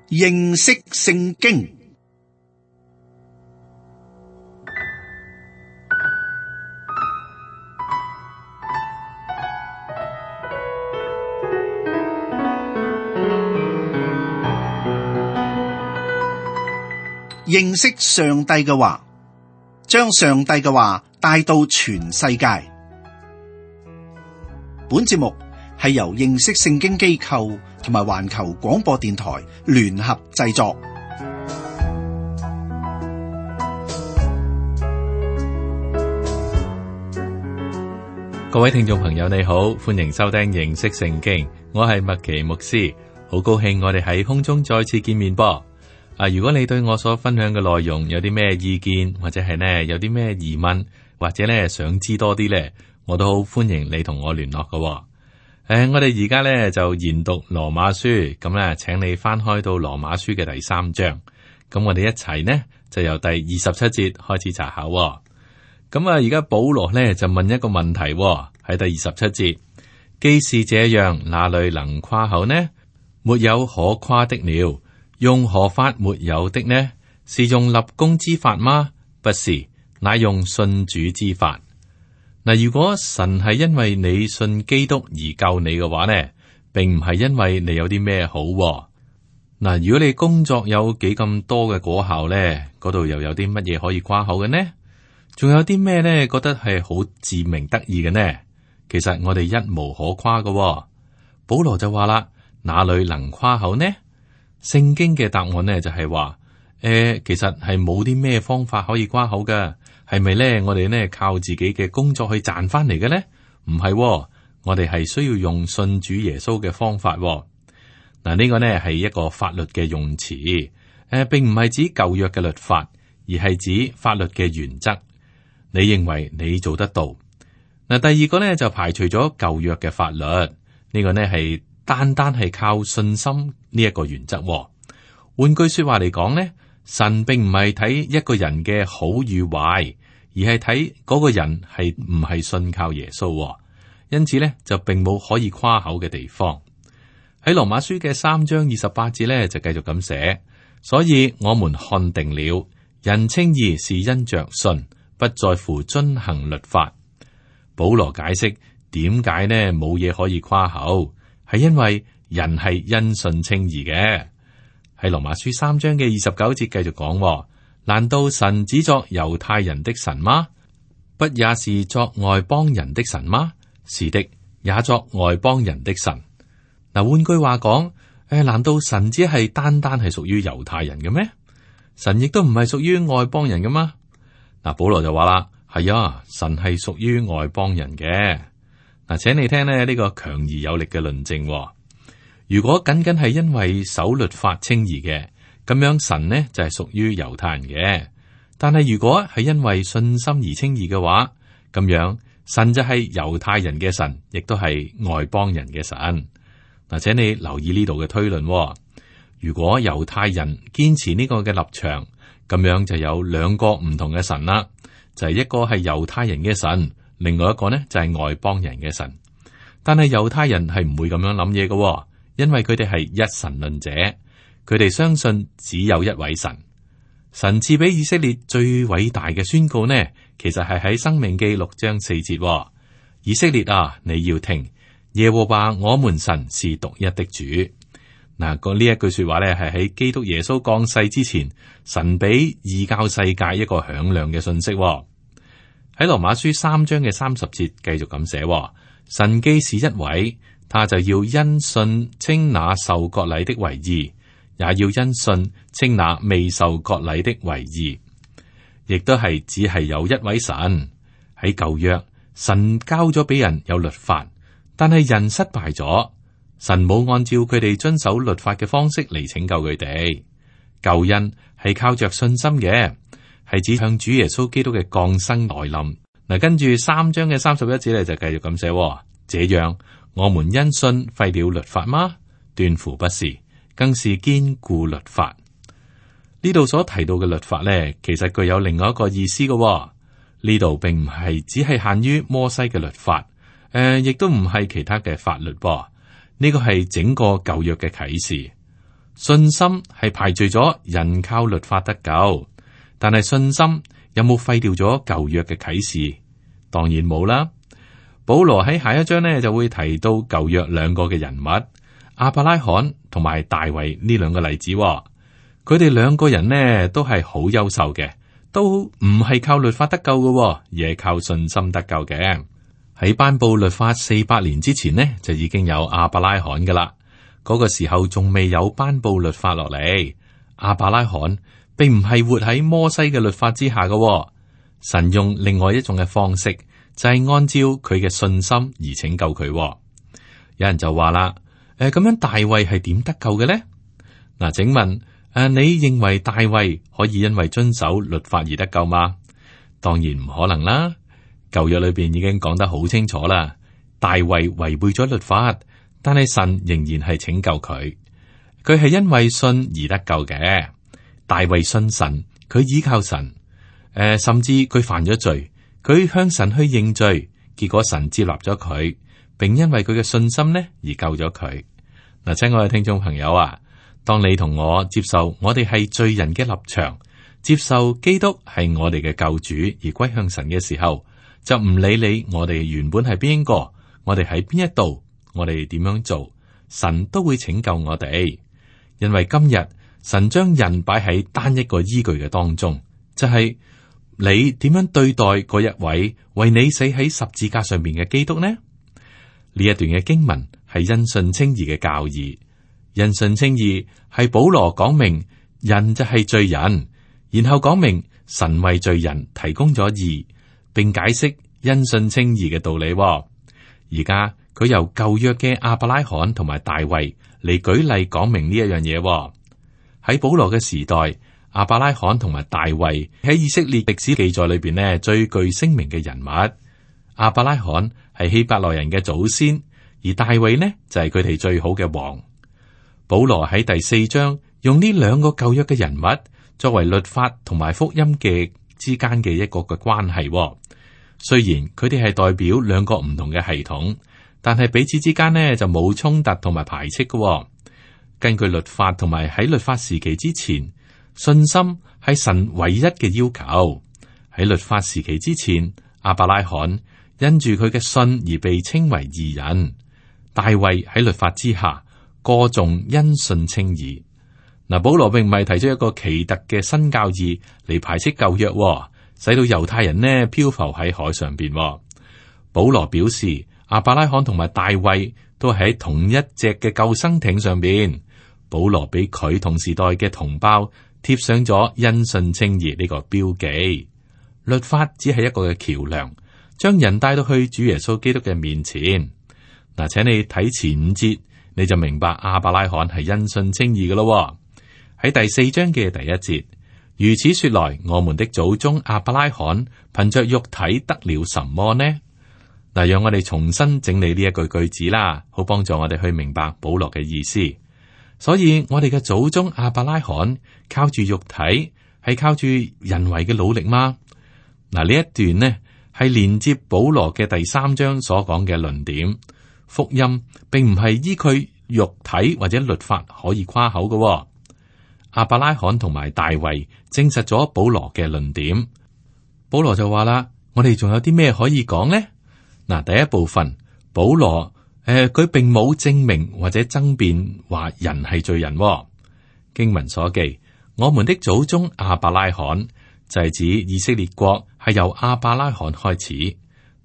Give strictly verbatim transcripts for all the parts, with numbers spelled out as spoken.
認識聖經。認識上帝嘅話，將上帝嘅話帶到全世界。本節目係由認識聖經機構同埋環球廣播電台聯合製作。各位聽眾朋友，你好，歡迎收聽認識聖經，我係麥奇牧師，好高興我哋喺空中再次見面噃。啊！如果你對我所分享嘅內容有啲咩意見，或者係呢有啲咩疑問，或者呢想知多啲呢，我都好歡迎你同我聯絡嘅。誒、呃，我哋而家呢就研讀羅馬書，咁呢請你翻開到羅馬書嘅第三章，咁我哋一齊呢就由第二十七節開始查考。咁啊，而家保羅呢就問一個問題喺第二十七節，既是這樣，哪裏能誇口呢？沒有可誇的了。用何法沒有的呢？是用立功之法嗎？不是，乃用信主之法。嗱，如果神係因為你信基督而救你嘅話呢，並唔係因為你有啲咩好。嗱，如果你工作有幾咁多嘅果效呢，嗰度又有啲乜嘢可以誇口嘅呢？仲有啲咩呢？覺得係好自鳴得意嘅呢？其實我哋一無可誇嘅。保羅就話啦，哪裏能誇口呢？聖經嘅答案呢就係話，誒、呃，其實係冇啲咩方法可以誇口嘅，係咪呢？我哋呢靠自己嘅工作去賺翻嚟嘅呢？唔係、哦，我哋係需要用信主耶穌嘅方法、哦。嗱，呢個呢係一個法律嘅用詞，誒、呃，並唔係指舊約嘅律法，而係指法律嘅原則。你認為你做得到？嗱，第二個呢就排除咗舊約嘅法律，呢、這個呢係。單單係靠信心呢一個原則。換句說話嚟講呢，神並唔係睇一個人嘅好與壞，而係睇嗰個人係唔係信靠耶穌。因此呢，就並冇可以誇口嘅地方。喺羅馬書嘅三章二十八節呢，就繼續咁寫，所以我們看定了，人稱義是因着信，不在乎遵行律法。保羅解釋點解呢冇嘢可以誇口。係因為人係因信稱義嘅。喺羅馬書三章嘅二十九節繼續講，難道神只作猶太人的神嗎？不也是作外邦人的神嗎？是的，也作外邦人的神。嗱，換句話講，誒，難道神只係單單係屬於猶太人嘅咩？神亦都唔係屬於外邦人嘅嗎？嗱，保羅就話啦，係啊，神係屬於外邦人嘅。嗱，請你聽咧呢個強而有力嘅論證。如果僅僅係因為守律法稱義嘅，咁樣神呢就係屬於猶太人嘅。但係如果係因為信心而稱義嘅話，咁樣神就係猶太人嘅神，亦都係外邦人嘅神。嗱，請你留意呢度嘅推論。如果猶太人堅持呢個嘅立場，咁樣就有兩個唔同嘅神啦，就係一個係猶太人嘅神。另外一個呢就係外邦人嘅神，但係猶太人係唔會咁樣諗嘢嘅，因為佢哋係一神論者，佢哋相信只有一位神。神賜俾以色列最偉大嘅宣告呢，其實係喺申命記六章四節，以色列啊，你要聽，耶和華我們神是獨一的主。嗱，個呢一句說話呢，係喺基督耶穌降世之前，神俾異教世界一個響亮嘅信息。喺羅馬書三章嘅三十節繼續咁寫，神既是一位，他就要因信稱那受割禮的為義，也要因信稱那未受割禮的為義。亦都係只係有一位神。喺舊約，神交咗俾人有律法，但係人失敗咗，神冇按照佢哋遵守律法嘅方式嚟拯救佢哋。救恩係靠着信心嘅。係指向主耶穌基督嘅降生來臨。嗱，跟住三章嘅三十一節咧就繼續咁寫，這樣我們因信廢了律法嗎？斷乎不是，更是堅固律法。呢度所提到嘅律法咧，其實具有另外一個意思嘅。呢度並唔係只係限於摩西嘅律法，誒、呃，亦都唔係其他嘅法律噃。呢個係整個舊約嘅啟示。信心係排除咗人靠律法得救，但係信心有冇廢掉咗舊約嘅啟示？當然冇啦。保羅喺下一章呢就會提到舊約兩個嘅人物，亞伯拉罕同埋大衛呢兩個例子。佢哋兩個人呢都係好優秀嘅，都唔係靠律法得救嘅，而係靠信心得救嘅。喺頒布律法四百年之前呢，就已經有亞伯拉罕噶啦。嗰個時候仲未有頒布律法落嚟，亞伯拉罕並唔係活喺摩西嘅律法之下嘅。神用另外一種嘅方式，就係按照佢嘅信心而拯救佢。有人就話啦，誒，咁樣大衛係點得救嘅咧？嗱，請問誒，你認為大衛可以因為遵守律法而得救嗎？當然唔可能啦。舊約裏邊已經講得好清楚啦，大衛違背咗律法。但係神仍然係拯救佢，佢係因為信而得救嘅。大衛信神，佢依靠神，誒、呃，甚至佢犯咗罪，佢向神去認罪，結果神接納咗佢，並因為佢嘅信心呢而救咗佢。嗱，親愛嘅聽眾朋友啊，當你同我接受我哋係罪人嘅立場，接受基督係我哋嘅救主而歸向神嘅時候，就唔理你我哋原本係邊個，我哋喺邊一度。我哋點樣做，神都會拯救我哋，因為今日神將人擺喺單一個依據嘅當中，就係、是、你點樣對待嗰一位為你死喺十字架上面嘅基督呢？呢一段嘅經文係因信稱義嘅教義，因信稱義係保羅講明人就係罪人，然後講明神為罪人提供咗義，並解釋因信稱義嘅道理。而家。佢由舊約嘅亞伯拉罕同埋大衛嚟舉例講明呢一樣嘢。喺保羅嘅時代，亞伯拉罕同埋大衛喺以色列歷史記載裏邊呢最具聲名嘅人物。亞伯拉罕係希伯來人嘅祖先，而大衛呢就係佢哋最好嘅王。保羅喺第四章用呢兩個舊約嘅人物作為律法同埋福音嘅之間嘅一個嘅關係。雖然佢哋係代表兩個唔同嘅系統。但係彼此之間呢就冇衝突同埋排斥嘅、哦。根據律法同埋喺律法時期之前，信心係神唯一嘅要求。喺律法時期之前，亞伯拉罕因住佢嘅信而被稱為義人。大衛喺律法之下歌頌因信稱義。嗱，保羅並唔係提出一個奇特嘅新教義嚟排斥舊約、哦，使到猶太人呢漂浮喺海上邊、哦。保羅表示。亞伯拉罕同埋大衛都喺同一隻嘅救生艇上邊，保羅俾佢同時代嘅同胞貼上咗因信稱義呢個標記。律法只係一個嘅橋樑，將人帶到去主耶穌基督嘅面前。嗱，請你睇前五節，你就明白亞伯拉罕係因信稱義嘅咯。喺第四章嘅第一節，如此說來，我們的祖宗亞伯拉罕憑着肉體得了什麼呢？嗱，讓我哋重新整理呢一句句子啦，好幫助我哋去明白保羅嘅意思。所以我哋嘅祖宗亞伯拉罕靠住肉體，係靠住人為嘅努力嗎？嗱，呢一段呢係連接保羅嘅第三章所講嘅論點。福音並唔係依佢肉體或者律法可以誇口嘅。亞伯拉罕同埋大衛證實咗保羅嘅論點。保羅就話啦，我哋仲有啲咩可以講呢？嗱，第一部分，保羅誒，佢、呃、並冇證明或者爭辯話人係罪人、哦。經文所記，我們的祖宗亞伯拉罕就係指以色列國係由亞伯拉罕開始。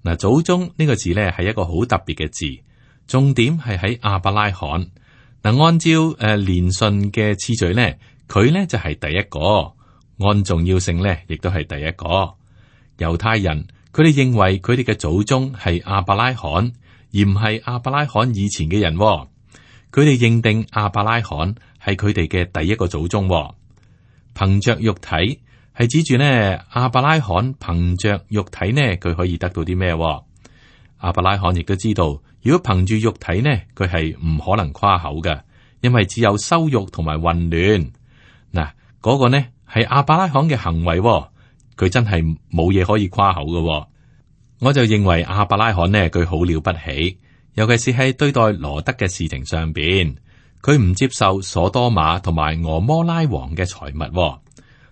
嗱，祖宗呢個字咧係一個好特別嘅字，重點係喺亞伯拉罕。嗱，按照誒連順嘅次序咧，佢咧就係、是、第一個，按重要性咧亦都係第一個。猶太人。佢哋認為佢哋嘅祖宗係亞伯拉罕，而唔係亞伯拉罕以前嘅人、哦。佢哋認定亞伯拉罕係佢哋嘅第一個祖宗、哦。憑着肉體係指住呢亞伯拉罕憑着肉體呢，佢可以得到啲咩？亞伯拉罕亦都知道，如果憑住肉體呢，佢係唔可能誇口嘅，因為只有羞辱同埋混亂。嗱，嗰個呢係亞伯拉罕嘅行為、哦。佢真係冇嘢可以誇口嘅、哦，我就認為亞伯拉罕呢，佢好了不起，尤其是喺對待羅德嘅事情上邊，佢唔接受所多瑪同埋俄摩拉王嘅財物。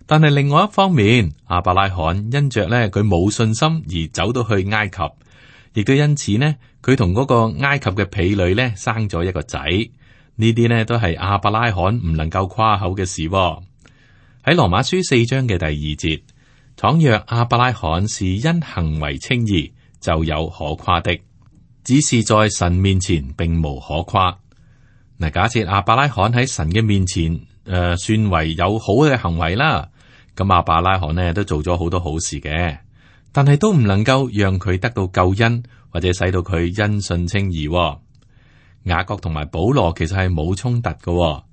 但係另外一方面，亞伯拉罕因着咧佢冇信心而走到去埃及，亦都因此呢，佢同嗰個埃及嘅婢女咧生咗一個仔。呢啲呢都係亞伯拉罕唔能夠誇口嘅事。喺羅馬書四章嘅第二節，倘若亞伯拉罕是因行為稱義，就有可誇的，只是在神面前並無可誇。嗱，假設亞伯拉罕喺神嘅面前，誒、呃，算為有好嘅行為啦，咁亞伯拉罕呢都做咗好多好事嘅，但係都唔能夠讓佢得到救恩，或者使到佢因信稱義。雅各同埋保羅其實係冇衝突嘅。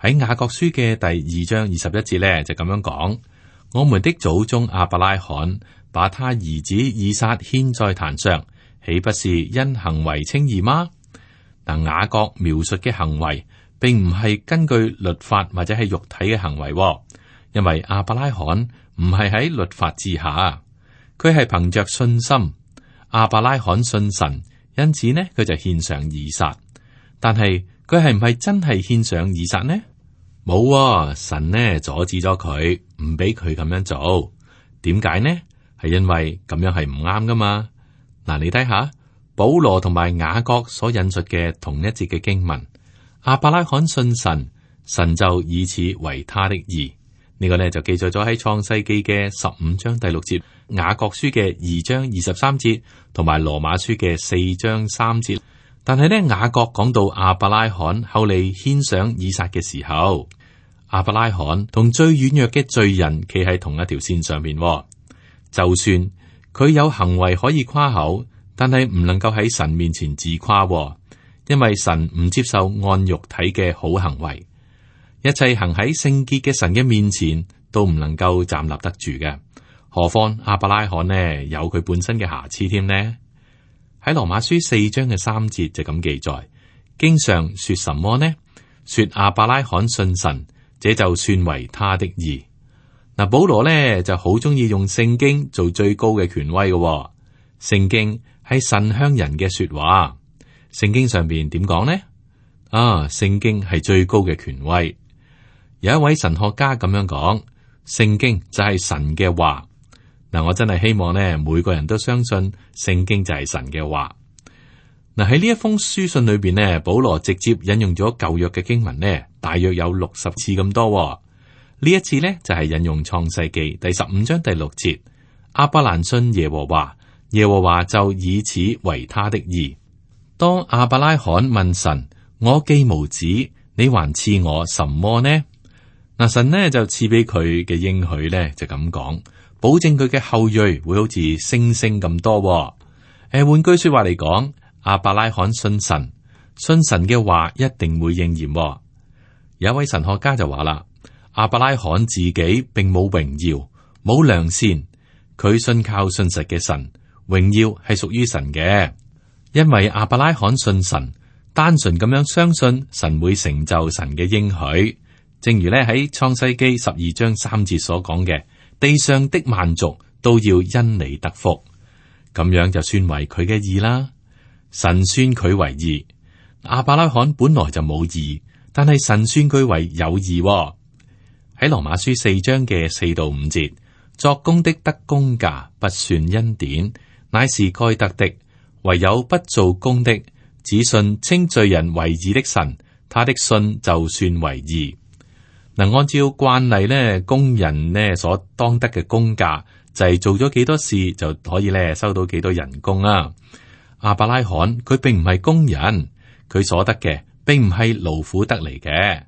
喺雅各書嘅第二章二十一節咧就咁樣講：我們的祖宗亞伯拉罕把他兒子以撒獻在壇上，豈不是因行為稱義嗎？嗱，雅各描述嘅行為，並唔係根據律法或者係肉體嘅行為，因為亞伯拉罕唔係喺律法之下，佢係憑着信心。亞伯拉罕信神，因此呢佢就獻上以撒。但係佢係唔係真係獻上以撒呢？冇啊，神呢阻止咗佢，唔俾佢咁樣做。點解呢？係因為咁樣係唔啱噶嘛。嗱，你睇下保羅同埋雅各所引述嘅同一節嘅經文，亞伯拉罕信神，神就以此為他的義。呢個呢就記載咗喺創世記嘅十五章第六節，雅各書嘅二章二十三節，同埋羅馬書嘅四章三節。但係呢，雅各講到亞伯拉罕後嚟獻上以撒嘅時候，亞伯拉罕同最軟弱嘅罪人企喺同一條線上面。就算佢有行為可以誇口，但係唔能夠喺神面前自誇，因為神唔接受按肉體嘅好行為。一切行喺聖潔嘅神嘅面前都唔能夠站立得住嘅，何況亞伯拉罕呢有佢本身嘅瑕疵添呢？喺羅馬書四章嘅三節就咁記載，經上說什麼呢？說亞伯拉罕信神，這就算為他的義。嗱，保羅呢就好中意用聖經做最高嘅權威嘅。聖經係神向人嘅說話，聖經上邊點講呢？啊，聖經係最高嘅權威。有一位神學家咁樣講，聖經就係神嘅話。嗱，我真係希望呢，每個人都相信聖經就係神嘅話。嗱，喺呢一封書信裏邊呢，保羅直接引用咗舊約嘅經文呢，大約有六十次咁多。呢一次呢，就係引用創世記第十五章第六節，亞伯蘭信耶和華，耶和華就以此為他的義。當亞伯拉罕問神：我既無子，你還賜我什麼呢？嗱，神呢就賜俾佢嘅應許呢，就咁講。保證佢嘅後裔會好似星星咁多。誒，換句說話嚟講，亞伯拉罕信神，信神嘅話一定會應驗。有一位神學家就話啦，亞伯拉罕自己並冇榮耀，冇良善，佢信靠信實嘅神，榮耀係屬於神嘅。因為亞伯拉罕信神，單純咁樣相信神會成就神嘅應許，正如咧喺創世記十二章三節所講嘅。地上的萬族都要因你得福，咁樣就算為佢嘅義啦。神算佢為義，亞伯拉罕本來就冇義，但係神算佢為有義。喺羅馬書四章嘅四到五節，作工的得工價，不算恩典，乃是該得的；唯有不做工的，只信稱罪人為義的神，他的信就算為義。嗱，按照慣例咧，工人咧所當得嘅工價就係做咗幾多事就可以咧收到幾多人工啊。亞伯拉罕佢並唔係工人，佢所得嘅並唔係勞苦得嚟嘅，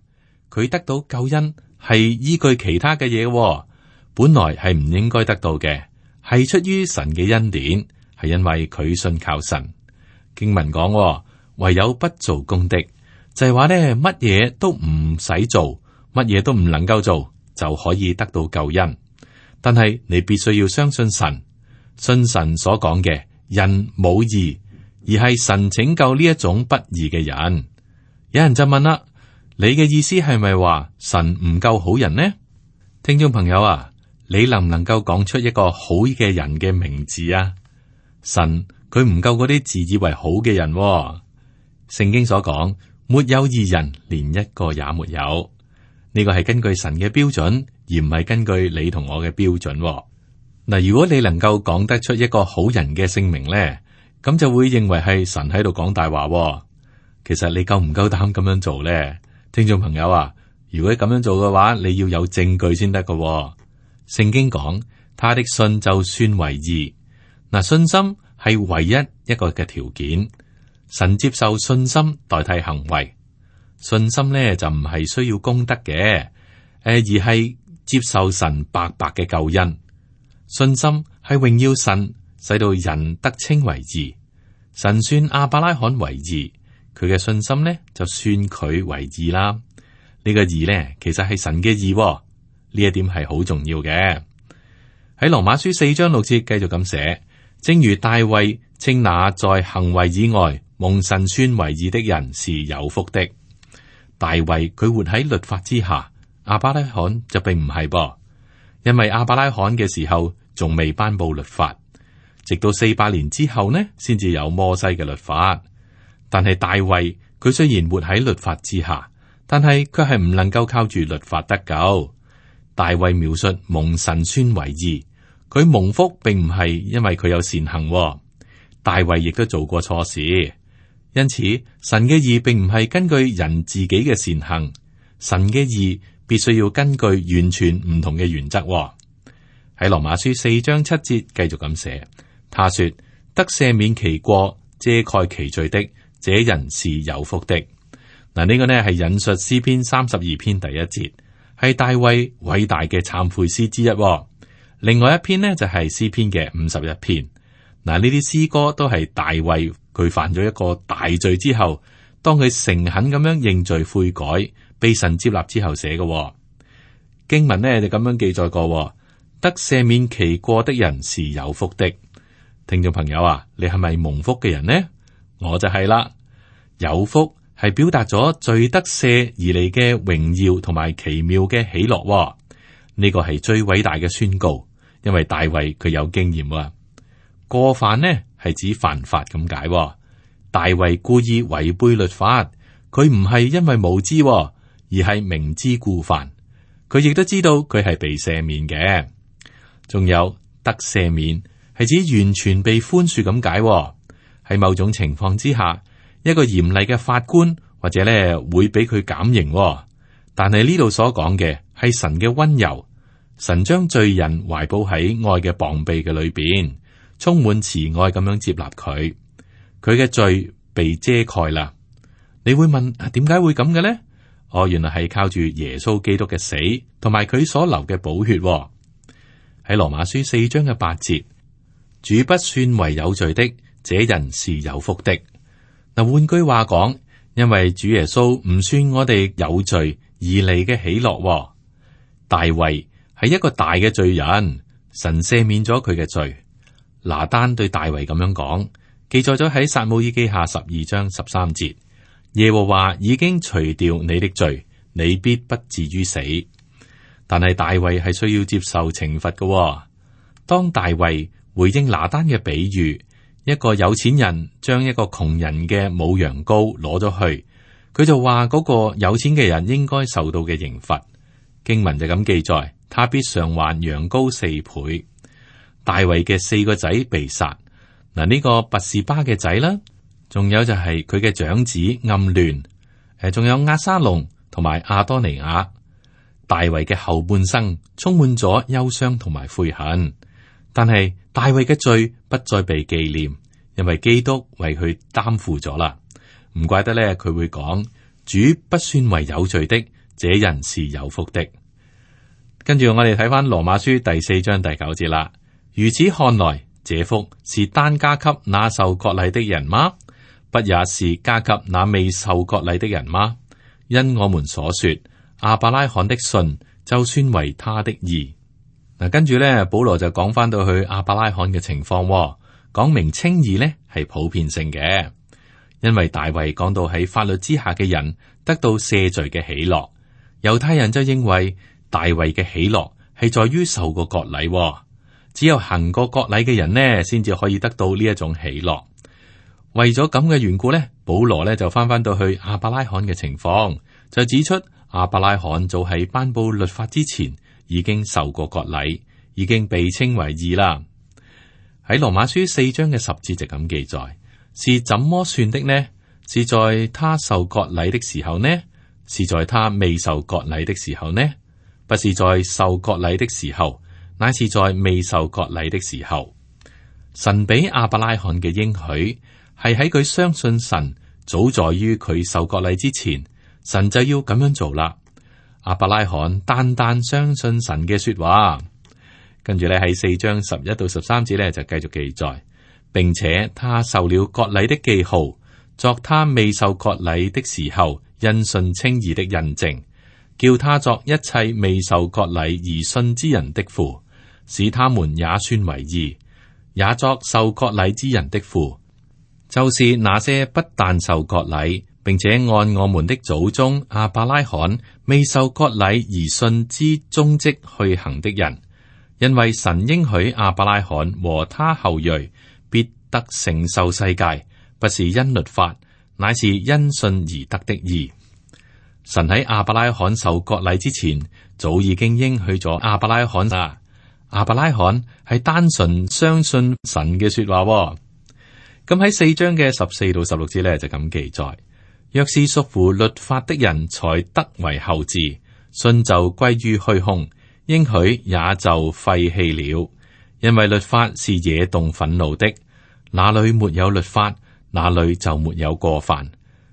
佢得到救恩係依據其他嘅嘢，本來係唔應該得到嘅，係出於神嘅恩典，係因為佢信靠神。經文講，唯有不做工的，就係話咧乜嘢都唔使做。乜嘢都唔能夠做就可以得到救恩，但係你必須要相信神，信神所講嘅人冇義，而係神拯救呢一種不義嘅人。有人就問啦，你嘅意思係咪話神唔夠好人呢？聽眾朋友啊，你能唔能夠講出一個好嘅人嘅名字啊？神佢唔夠嗰啲自以為好嘅人喎。聖經所講，沒有義人，連一個也沒有。呢個係根據神嘅標準，而唔係根據你同我嘅標準。嗱，如果你能夠講得出一個好人嘅姓名咧，咁就會認為係神喺度講大話。其實你夠唔夠膽咁樣做咧？聽眾朋友啊，如果咁樣做嘅話，你要有證據先得噶。聖經講，他的信就算為義。嗱，信心係唯一一個嘅條件，神接受信心代替行為。信心咧就唔係需要功德嘅，誒，而係接受神白白嘅救恩。信心係榮耀神，使到人得稱為義。神算亞伯拉罕為義，佢嘅信心咧就算佢為義啦。呢、這個義咧其實係神嘅義，呢一點係好重要嘅。喺羅馬書四章六節繼續咁寫，正如大衛稱那在行為以外蒙神算為義的人是有福的。大衛佢活喺律法之下，亞伯拉罕就並唔係噃，因為亞伯拉罕嘅時候仲未頒布律法，直到四百年之後呢，先至有摩西嘅律法。但係大衛佢雖然活喺律法之下，但係卻係唔能夠靠住律法得救。大衛描述蒙神算為義，佢蒙福並唔係因為佢有善行，大衛亦都做過錯事。因此，神嘅義並唔係根據人自己嘅善行，神嘅義必須要根據完全唔同嘅原則。喺羅馬書四章七節繼續咁寫，他說得赦免其過、遮蓋其罪的，這人是有福的。嗱，呢個呢係引述詩篇三十二篇第一節，係大衛偉大嘅懺悔詩之一。另外一篇呢就係詩篇嘅五十一篇。嗱，呢啲詩歌都係大衛佢犯咗一個大罪之後，當佢誠懇咁樣認罪悔改，被神接納之後寫嘅。經文呢就咁樣記載過，得赦免其過的人是有福的。聽眾朋友啊，你係咪蒙福嘅人呢？我就係啦。有福係表達咗罪得赦而嚟嘅榮耀同埋奇妙嘅喜樂。呢個係最偉大嘅宣告，因為大衛佢有經驗啊。過犯呢係指犯法咁解，大衛故意違背律法，佢唔係因為無知，而係明知故犯。佢亦都知道佢係被赦免嘅。仲有得赦免係指完全被寬恕咁解。喺某種情況之下，一個嚴厲嘅法官或者咧會俾佢減刑，但係呢度所講嘅係神嘅溫柔，神將罪人懷抱喺愛嘅膀臂嘅裏邊。充滿慈愛咁樣接納佢，佢嘅罪被遮蓋啦。你會問啊，點解會咁嘅咧？哦，原來係靠住耶穌基督嘅死同埋佢所流嘅寶血。喺羅馬書四章嘅八節，主不算為有罪的，這人是有福的。嗱，換句話講，因為主耶穌唔算我哋有罪而嚟嘅喜樂。大衛係一個大嘅罪人，神赦免咗佢嘅罪。拿單對大衛咁樣講，記載咗喺撒母耳記下十二章十三節。耶和華已經除掉你的罪，你必不至於死。但係大衛係需要接受懲罰嘅。當大衛回應拿單嘅比喻，一個有錢人將一個窮人嘅母羊羔攞咗去，佢就話嗰個有錢嘅人應該受到嘅刑罰。經文就咁記載，他必償還羊羔四倍。大衛嘅四個仔被殺，嗱、這、呢個拔士巴嘅仔啦，仲有就係佢嘅長子暗嫩，誒，仲有押沙龍同埋亞多尼亞。大衛嘅後半生充滿咗憂傷同埋悔恨，但係大衛嘅罪不再被紀念，因為基督為佢擔負咗啦。唔怪得咧，佢會講主不算為有罪的，這人是有福的。跟住我哋睇翻羅馬書第四章第九節啦。如此看來，這福是單加給那受割禮的人嗎？不也是加給那未受割禮的人嗎？因我們所說，亞伯拉罕的信就算為他的義。嗱，跟住咧，保羅就講翻到去亞伯拉罕嘅情況，講明稱義咧係普遍性嘅，因為大衛講到喺法律之下嘅人得到赦罪嘅喜樂，猶太人就認為大衛嘅喜樂係在於受過割禮。只有行過割禮嘅人呢，先至可以得到呢一種喜樂。為咗咁嘅緣故呢，保羅呢就翻翻到去亞伯拉罕嘅情況，就指出亞伯拉罕早喺頒布律法之前已經受過割禮，已經被稱為義啦。喺羅馬書四章嘅十節就咁記載，是怎麼算的呢？是在他受割禮的時候呢？是在他未受割禮的時候呢？不是在受割禮的時候，乃是在未受割禮的時候。神俾亞伯拉罕嘅應許係喺佢相信神，早在於佢受割禮之前，神就要咁樣做啦。亞伯拉罕單單相信神嘅說話，跟住咧喺四章十一到十三節咧就繼續記載，並且他受了割禮的記號，作他未受割禮的時候因信稱義的印證，叫他作一切未受割禮而信之人的父，使他們也算為義，也作受割禮之人的父，就是那些不但受割禮，並且按我們的祖宗亞伯拉罕未受割禮而信之蹤跡去行的人。因為神應許亞伯拉罕和他後裔必得承受世界，不是因律法，乃是因信而得的義。神喺亞伯拉罕受割禮之前，早已經應許咗亞伯拉罕啦。亞伯拉罕係單純相信神嘅說話。咁喺四章嘅十四到十六節咧就咁記載：若是屬乎律法的人才得為後嗣，信就歸於虛空，應許也就廢棄了。因為律法是惹動憤怒的，哪裏沒有律法，哪裏就沒有過犯。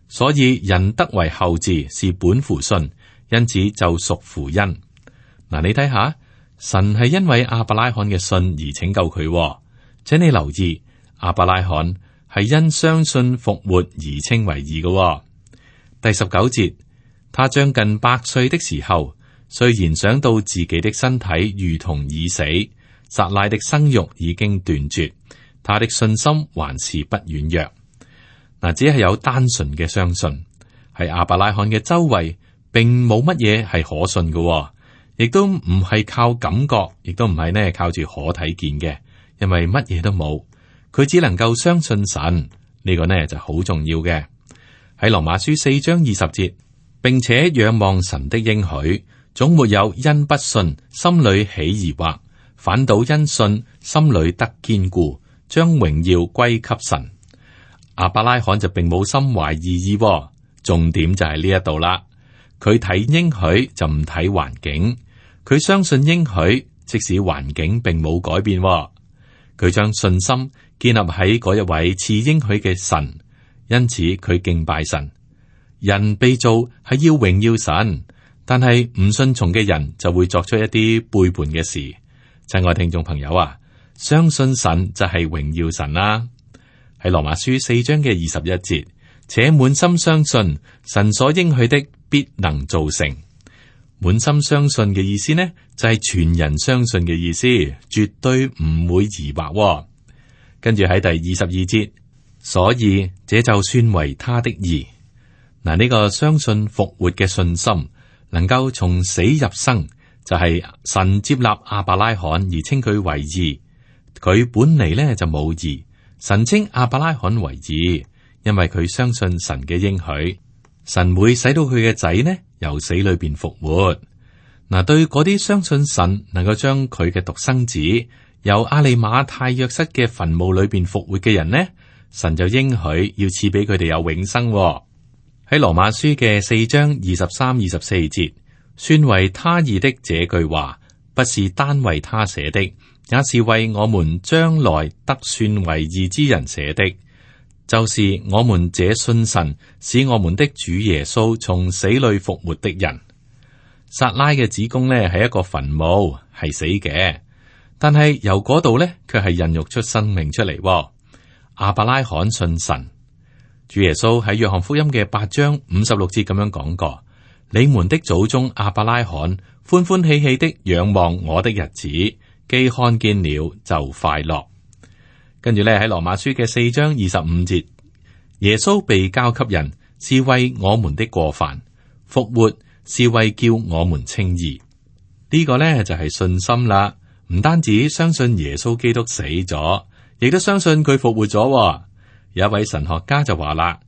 所以人得為後嗣是本乎信，因此就屬乎恩。嗱，你睇下，神係因為亞伯拉罕嘅信而拯救佢。請你留意，亞伯拉罕係因相信復活而稱為義嘅。第十九節，他將近百歲的時候，雖然想到自己的身體如同已死，撒拉的生育已經斷絕，他的信心還是不軟弱。嗱，只係有單純嘅相信，喺亞伯拉罕嘅周圍，並冇乜嘢係可信嘅，亦都唔係靠感覺，亦都唔係呢靠住可睇見嘅，因為乜嘢都冇，佢只能夠相信神，呢個呢就好重要嘅。喺羅馬書四章二十節，並且仰望神的應許，總沒有因不信心裏起疑惑，反倒因信心裏得堅固，將榮耀歸給神。亞伯拉罕就並冇心懷異意，重點就係呢一度啦。佢睇應許就唔睇環境，佢相信應許，即使環境並冇改變。佢將信心建立喺嗰一位賜應許嘅神，因此佢敬拜神。人被造係要榮耀神，但係唔信從嘅人就會作出一啲背叛嘅事。親愛聽眾朋友啊，相信神就係榮耀神啦。喺羅馬書四章嘅二十一節，且滿心相信神所應許的必能做成。滿心相信嘅意思呢，就係全人相信嘅意思，絕對唔會疑惑。跟住喺第二十二節，所以這就算為他的義。嗱，呢個相信復活嘅信心，能夠從死入生，就係神接納亞伯拉罕而稱佢為義。佢本嚟呢就冇義。神稱亞伯拉罕為義，因為佢相信神嘅應許，神會使到佢嘅仔呢由死裏邊復活。嗱，對嗰啲相信神能夠將佢嘅獨生子由亞利馬太約瑟嘅墳墓裏邊復活嘅人呢，神就應許要賜俾佢哋有永生。喺羅馬書嘅四章二十三、二十四節，算為他義的這句話，不是單為他寫的，也是為我們將來得算為義之人寫的，就是我們這信神使我們的主耶穌從死裏復活的人。撒拉嘅子宮呢係一個墳墓，係死嘅，但係由嗰度呢，卻係孕育出生命出嚟。亞伯拉罕信神，主耶穌喺約翰福音嘅八章五十六節咁樣講過：你們的祖宗亞伯拉罕歡歡喜喜的仰望我的日子，既看見了就快樂。跟住咧喺羅馬書嘅四章二十五節，耶穌被交給人，是為我們的過犯；復活是為叫我們稱義。呢、這個呢就係、是、信心啦，唔單止相信耶穌基督死咗，亦都相信佢復活咗。有一位神學家就話啦：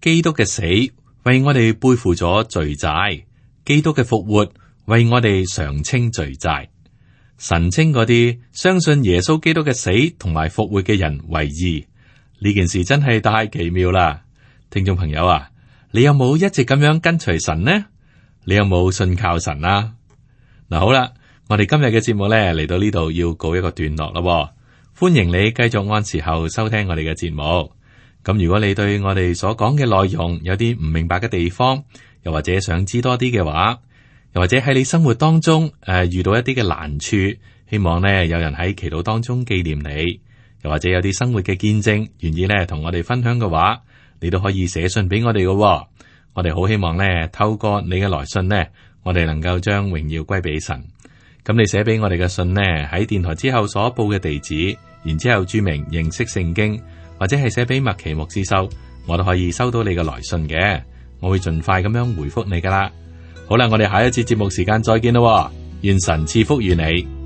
基督嘅死為我哋背負咗罪債，基督嘅復活為我哋償清罪債。神稱嗰啲相信耶穌基督嘅死同埋復活嘅人為義，呢件事真係太奇妙啦！聽眾朋友啊，你有冇一直咁樣跟隨神呢？你有冇信靠神啊？嗱，好啦，我哋今日嘅節目咧嚟到呢度要告一個段落啦。歡迎你繼續按時候收聽我哋嘅節目。咁如果你對我哋所講嘅內容有啲唔明白嘅地方，又或者想知多啲嘅話，又或者喺你生活當中誒、呃、遇到一啲嘅難處，希望呢有人喺祈禱當中紀念你，又或者有啲生活嘅見證願意呢同我哋分享嘅話，你都可以寫信俾我哋嘅。我哋好希望呢透過你嘅來信呢，我哋能夠將榮耀歸俾神。咁你寫俾我哋嘅信呢，喺電台之後所報嘅地址，然之後注明認識聖經，或者係寫俾麥奇牧師收，我都可以收到你嘅來信嘅。我會盡快咁樣回覆你噶啦。好啦，我哋下一次節目時間再見咯。願神賜福於你。